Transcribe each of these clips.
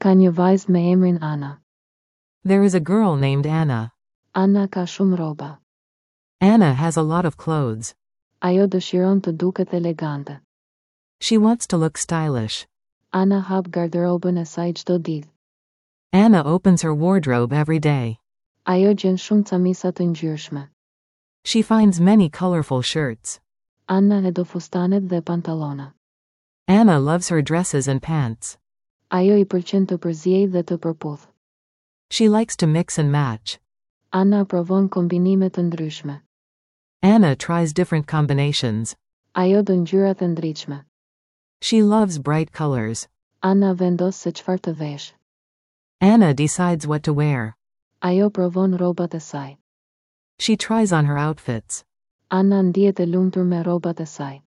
Ka një vajzë me emrin Ana. There is a girl named Anna. Anna ka shumë rroba. Anna has a lot of clothes. Ajo dëshiron të duket elegante. She wants to look stylish. Anna hap garderobën e saj çdo ditë. Anna opens her wardrobe every day. Ajo gjen shumë camisa të ngjyrshme. She finds many colorful shirts. Anna e do fustanet dhe pantallona. Anna loves her dresses and pants. Ajo i pëlqen të përziejë dhe të përputhë. She likes to mix and match. Anna provon kombinime të ndryshme. Anna tries different combinations. Ajo do ngjyrat e ndritshme. She loves bright colors. Anna vendos se çfarë të veshë. Anna decides what to wear. Ajo provon rrobat e saj. She tries on her outfits. Anna ndihet e lumtur me rrobat e saj.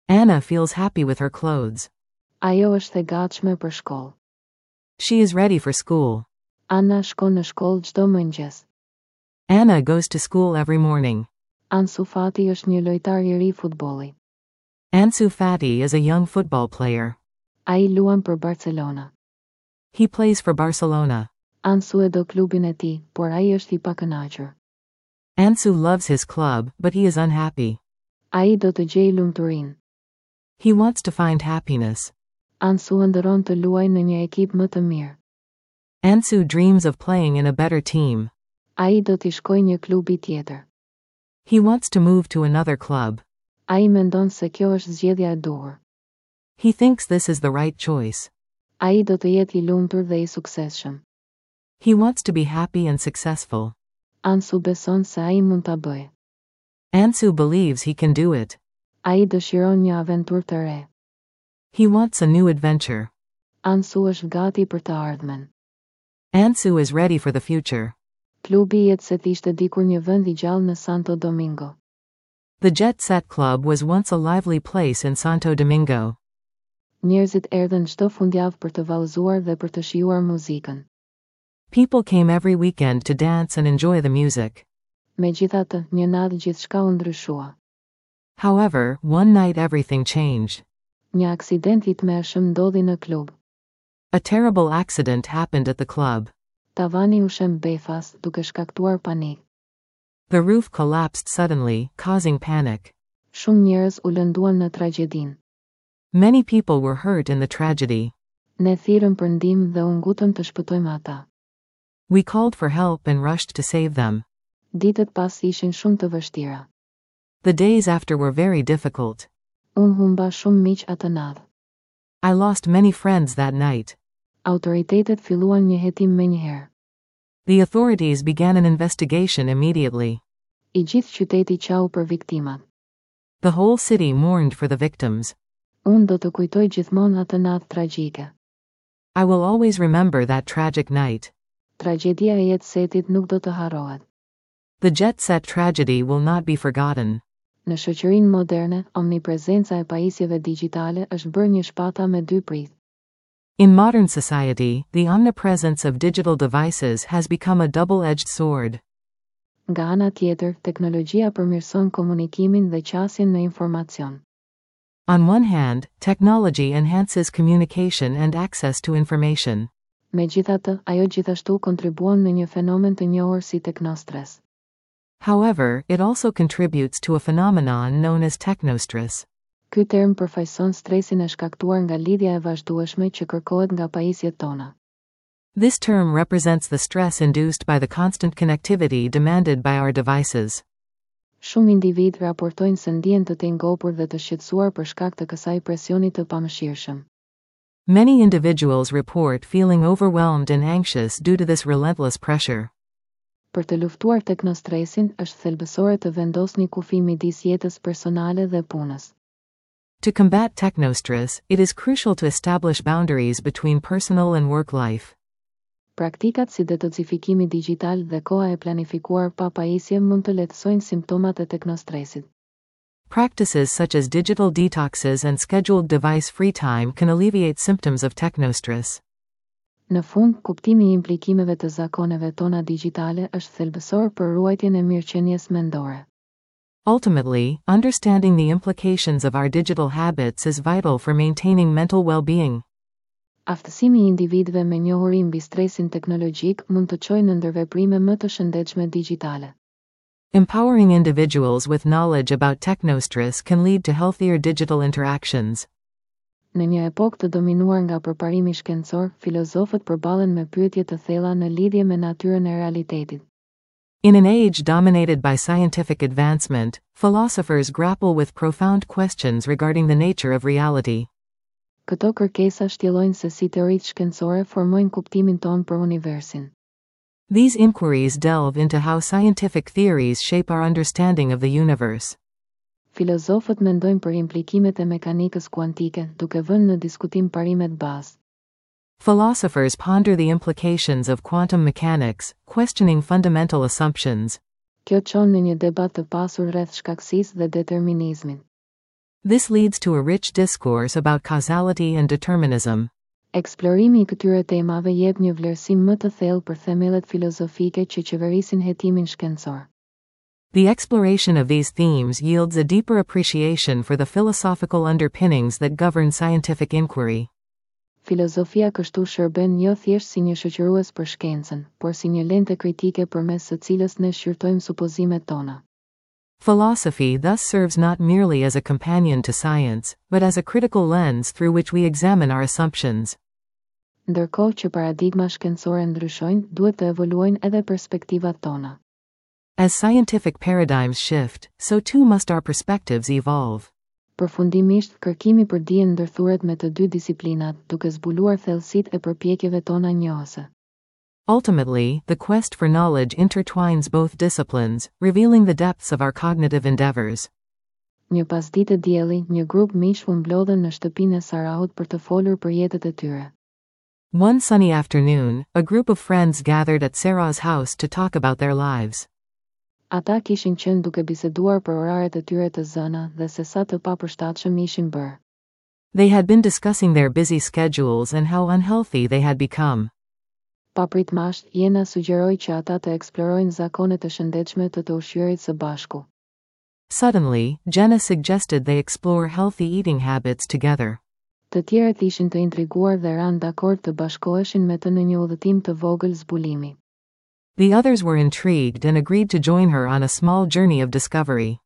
Anna feels happy with her clothes. Ajo është e gatshme për shkollë. She is ready for school. Anna shkon në shkollë çdo mëngjes. Anna goes to school every morning. Ansu Fati është një lojtar i ri futbolli. Ansu Fati is a young football player. Ai luan për Barcelona. He plays for Barcelona. Ansu e do klubin e tij, por ai është i pakënaqur. Ansu loves his club, but he is unhappy. Ai do të gjejë lumturinë. He wants to find happiness. Ansu ëndërron të luajë në një ekip më të mirë. Ansu dreams of playing in a better team. Ai do t'i shkojë një klubi tjetër. He wants to move to another club. Ai mendon se kjo është zgjedhja e duhur. He thinks this is the right choice. Ai do të jetë i lumtur dhe i suksesshëm. He wants to be happy and successful. Ansu beson se ai mund ta bëjë. Ansu believes he can do it. Ai dëshiron një aventurë të re. He wants a new adventure. Ansu është gati për të ardhmen. Ansu is ready for the future. Klubi Jet Set ishte dikur një vend i gjallë në Santo Domingo. The Jet Set Club was once a lively place in Santo Domingo. Njerëzit erdhën çdo fundjavë për të vallëzuar dhe për të shijuar muzikën. People came every weekend to dance and enjoy the music. Megjithatë, një natë gjithçka u ndryshua. However, one night everything changed. Një aksident i tmerrshëm ndodhi në klub. A terrible accident happened at the club. Tavani u shemb befas, duke shkaktuar panik. The roof collapsed suddenly, causing panic. Shumë njerëz u lënduan në tragjedinë. Many people were hurt in the tragedy. Ne thirrëm për ndihmë dhe u ngutëm të shpëtojmë ata. We called for help and rushed to save them. Ditët pas ishin shumë të vështira. The days after were very difficult. Unë humba shumë miq atë natë. I lost many friends that night. Autoritetet filluan një hetim menjëherë. The authorities began an investigation immediately. I gjithë qyteti qau për viktimat. The whole city mourned for the victims. Unë do të kujtoj gjithmonë atë natë tragjike. I will always remember that tragic night. Tragjedia e Jet Setit nuk do të harrohet. The Jet Set tragedy will not be forgotten. Në shoqërinë moderne, omniprezenca e pajisjeve digjitale është bërë një shpata me dy pritë. In modern society, the omnipresence of digital devices has become a double-edged sword. Nga ana tjetër, teknologjia përmirëson komunikimin dhe qasjen në informacion. On one hand, technology enhances communication and access to information. Megjithatë, ajo gjithashtu kontribuon në një fenomen të njohur si teknostres. However, it also contributes to a phenomenon known as technostress. Ky term përfaqëson stresin e shkaktuar nga lidhja e vazhdueshme që kërkohet nga pajisjet tona. This term represents the stress induced by the constant connectivity demanded by our devices. Shumë individë raportojnë se ndihen të tejngopur dhe të shqetësuar për shkak të kësaj presioni të pamëshirshëm. Many individuals report feeling overwhelmed and anxious due to this relentless pressure. Për të luftuar teknostresin, është thelbësore të vendosni kufi midis jetës personale dhe punës. To combat technostress, it is crucial to establish boundaries between personal and work life. Praktikat si detoksifikimi digjital dhe koha e planifikuar pa pajisje mund të lehtësojnë simptomat e teknostresit. Practices such as digital detoxes and scheduled device free time can alleviate symptoms of technostress. Në fund, kuptimi i implikimeve të zakoneve tona digjitale është thelbësor për ruajtjen e mirëqenies mendore. Ultimately, understanding the implications of our digital habits is vital for maintaining mental well-being. Aftësimi i individëve me njohuri mbi stresin teknologjik mund të çojë në ndërveprime më të shëndetshme digjitale. Empowering individuals with knowledge about technostress can lead to healthier digital interactions. Në një epokë të dominuar nga përparimi shkencor, filozofët përballen me pyetje të thella në lidhje me natyrën e realitetit. In an age dominated by scientific advancement, philosophers grapple with profound questions regarding the nature of reality. Këto kërkesa shtjellojnë se si teoritë shkencore formojnë kuptimin tonë për universin. These inquiries delve into how scientific theories shape our understanding of the universe. Filozofët mendojnë për implikimet e mekanikës kuantike, duke vënë në diskutim parimet bazë. Philosophers ponder the implications of quantum mechanics, questioning fundamental assumptions. Kjo çon në një debat të pasur rreth shkakësisë dhe determinizmit. This leads to a rich discourse about causality and determinism. Eksplorimi i këtyre temave jep një vlerësim më të thellë për themelet filozofike që qeverisin hetimin shkencor. The exploration of these themes yields a deeper appreciation for the philosophical underpinnings that govern scientific inquiry. Filozofia kështu shërben jo thjesht si një shoqërues për shkencën, por si një lente kritike përmes së cilës ne shqyrtojmë supozimet tona. Philosophy thus serves not merely as a companion to science, but as a critical lens through which we examine our assumptions. Ndërkohë që paradigma shkencore ndryshojnë, duhet të evoluojnë edhe perspektivat tona. As scientific paradigms shift, so too must our perspectives evolve. Përfundimisht, kërkimi për dijen ndërthuret me të dy disiplinat, duke zbuluar thellësitë e përpjekjeve tona njohëse. Ultimately, the quest for knowledge intertwines both disciplines, revealing the depths of our cognitive endeavors. Një pasdite dielli, një grup miqsh u mblodhën në shtëpinë e Sarahut për të folur për jetët e tyre. One sunny afternoon, a group of friends gathered at Sarah's house to talk about their lives. Ata kishin qenë duke biseduar për oraret e tyre të zëna dhe se sa të papërshtatshëm ishin bërë. They had been discussing their busy schedules and how unhealthy they had become. Papritmasht, Jena sugjeroi që ata të eksplorojnë zakonet e shëndetshme të të ushqyerit së bashku. Suddenly, Jenna suggested they explore healthy eating habits together. Të tjerët ishin të intriguar dhe ranë dakord të bashkoheshin me të në një udhëtim të vogël zbulimi. The others were intrigued and agreed to join her on a small journey of discovery.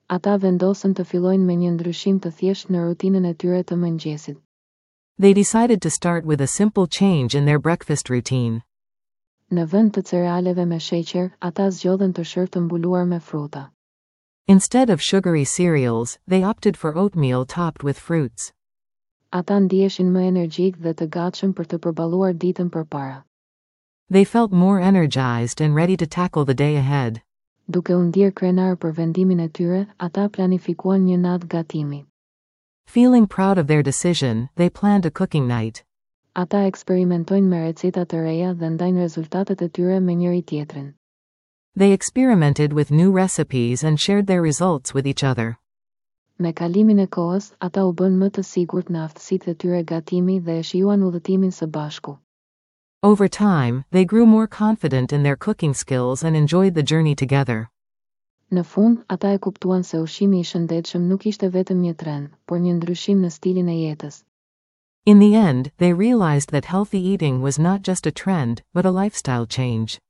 Ata vendosën të fillojnë me një ndryshim të thjeshtë në rutinën e tyre të mëngjesit. They decided to start with a simple change in their breakfast routine. Në vend të cerealeve me sheqer, ata zgjodhën tërshërë të mbuluar me fruta. Instead of sugary cereals, they opted for oatmeal topped with fruits. Ata ndiheshin më energjik dhe të gatshëm për të përballuar ditën përpara. They felt more energized and ready to tackle the day ahead. Duke u ndjerë krenar për vendimin e tyre, ata planifikuan një natë gatimi. Feeling proud of their decision, they planned a cooking night. Ata eksperimentojnë me receta të reja dhe ndajnë rezultatet e tyre me njëri tjetrin. They experimented with new recipes and shared their results with each other. Me kalimin e kohës, ata u bënë më të sigurt në aftësitë e tyre gatimi dhe e shijuan udhëtimin së bashku. Over time, they grew more confident in their cooking skills and enjoyed the journey together. Në fund, ata e kuptuan se ushqimi i shëndetshëm nuk ishte vetëm një trend, por një ndryshim në stilin e jetës. In the end, they realized that healthy eating was not just a trend, but a lifestyle change.